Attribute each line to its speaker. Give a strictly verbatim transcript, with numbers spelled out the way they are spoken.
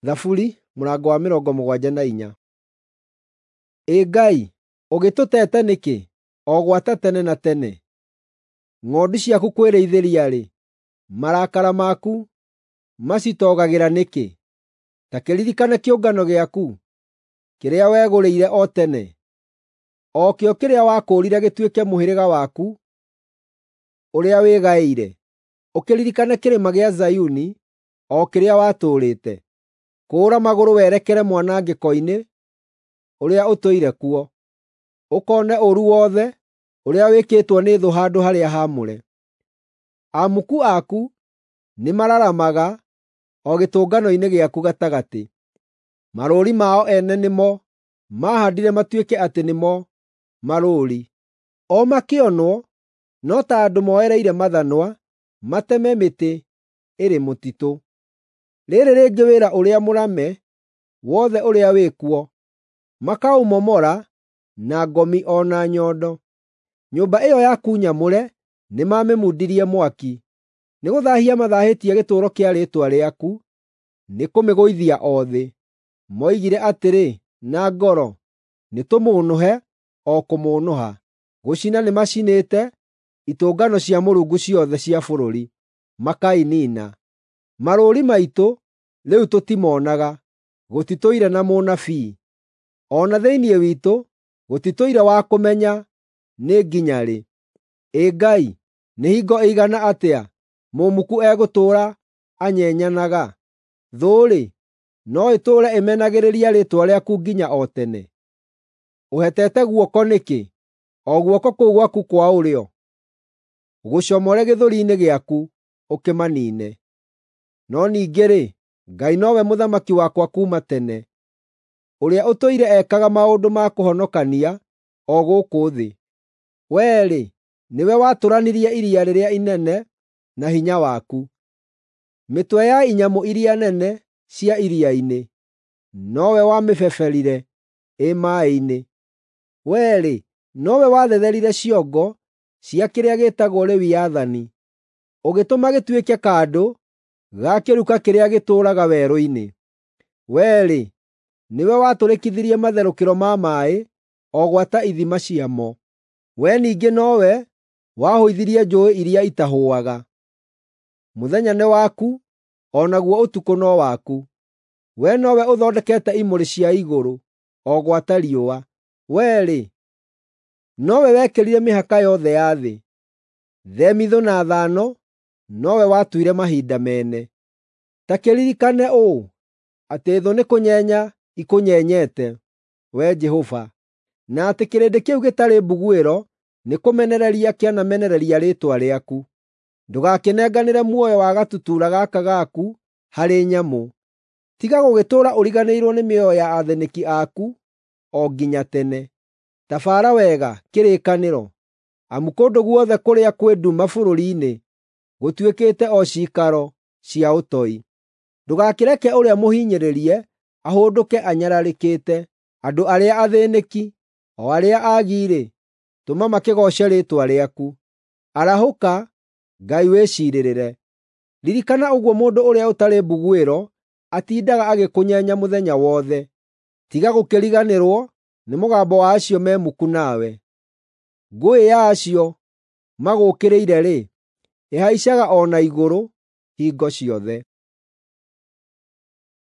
Speaker 1: Thaburi mũrango wa mĩrongo mũgwanja na inya. Ĩ Ngai, ũgĩtũteete nĩkĩ, o gwata tene na tene? Ng'ondu ciaku kwĩrĩithĩria-rĩ, marakara maku macitoogagĩra nĩkĩ? Ta kĩririkane kĩũngano gĩaku, kĩrĩa wegũrĩire o tene, o kĩo kĩrĩa wakũũrire gĩtuĩke mũhĩrĩga waku ũrĩa wĩgaĩire. Ũkĩririkane kĩrĩma gĩa Zayuni, o kĩrĩa watũũrĩte. Kũũra magũrũ werekere mwanangĩko-inĩ ũrĩa ũtũire kuo, ũkoone ũũru wothe ũrĩa wĩkĩtwo nĩ thũ handũ-harĩa-haamũre. Amuku aku nĩmararamaga o gĩtũngano-inĩ gĩaku gatagatĩ. Marũũri mao ene nĩmo maahaandire matuĩke atĩ nĩmo marũũri. O makĩonwo no ta andũ moereire mathanwa mateme mĩtĩ ĩrĩ mũtitũ. Rĩĩrĩ rĩngĩ wĩra ũrĩa mũrame wothe ũrĩa wĩ kuo, makaũmomora na ngomi o na nyondo. Nyũmba ĩyo yaku nyamũre nĩmamĩmundirie mwaki. Nĩgũthaahia mathaahĩtie gĩtũũro kĩa rĩĩtwa rĩaku nĩkũmĩgũithia o thĩ. Moigire atĩrĩ na ngoro, “Nĩtũmũũnũhe o kũmũũnũha.” Gũcina nĩmacinĩte itũngano cia Mũrungu ciothe cia bũrũri, makainiina. Marũũri maitũ rĩu tũtimonaga, gũtitũire na mũnabii. O na thĩinĩ witũ gũtitũire wa kũmenya nĩ nginya rĩ. Ĩ Ngai, nĩ hingo ĩigana atĩa mũmuku egũtũũra anyenyanaga? Thũ-rĩ, no ĩtũũre ĩmenagĩrĩria rĩĩtwa rĩaku nginya o tene? Ũhetete guoko nĩkĩ, o guoko kũu gwaku kwa ũrĩo? Gũcomore gĩthũri-inĩ gĩaku ũkĩmaniine. No ningĩ-rĩ, Ngai nowe mũthamaki wakwa kuuma tene, ũrĩa ũtũire ekaga maũndũ ma kũhonokania o gũkũ thĩ. Wee-rĩ, nĩwe watũranirie iria rĩrĩa inene na hinya waku. Mĩtwe ya inyamũ iria nene cia iria-inĩ nowe wamĩbeberire ĩ maaĩ-inĩ. Wee-rĩ, nowe wathetherire ciongo cia kĩrĩa gĩĩtagwo Lewiathani, ũgĩtũma gĩtuĩke kandũ ga kĩruka kĩrĩa gĩtũũraga werũ-inĩ. Wee-rĩ, nĩwe watũrĩkithirie matherũkĩro ma maaĩ o gwata ithima ciamo. Wee ningĩ nowe wahũithirie njũũĩ iria itahũaga. Mũthenya nĩ waku, o naguo ũtukũ no waku. Wee nowe ũthondekete imũrĩ cia igũrũ, o gwata riũa. Wee-rĩ, nowe wekĩrire mĩhaka yothe ya thĩ. Themithũ na thano nowe watuire mahinda mene. Ta kĩririkane ũũ, atĩ thũ nĩkũnyenya ikũnyenyete, Wee Jehova, na atĩ kĩrĩndĩ kĩu gĩtarĩ mbuguĩro nĩkũmenereria kĩanamenereria rĩĩtwa rĩaku. Ndũgakĩnenganĩre muoyo wa gatutura gaka gaku harĩ nyamũ. Tiga gũgĩtũũra ũriganĩirwo nĩ mĩoyo ya athĩnĩki aku o nginya tene. Tabaara wega kĩrĩkanĩro, amu kũndũ guothe kũrĩa kwĩ nduma bũrũri-inĩ gũtuĩkĩte o ciikaro cia ũtoi. Ndũgakĩreke ũrĩa mũhinyĩrĩrie ahũndũke anyararĩkĩte. Andũ arĩa athĩnĩki, o arĩa aagi-rĩ, tũma makĩgooce rĩĩtwa rĩaku. Arahũka, Ngai wĩciirĩrĩre. Ririkana ũguo mũndũ ũrĩa ũtarĩ mbuguĩro atindaga agĩkũnyenya mũthenya wothe. Tiga gũkĩriganĩrwo nĩ mũgambo wa acio me muku nawe. Ngũĩ ya acio magũũkĩrĩire-rĩ, ĩhaicaga o na igũrũ hingo ciothe.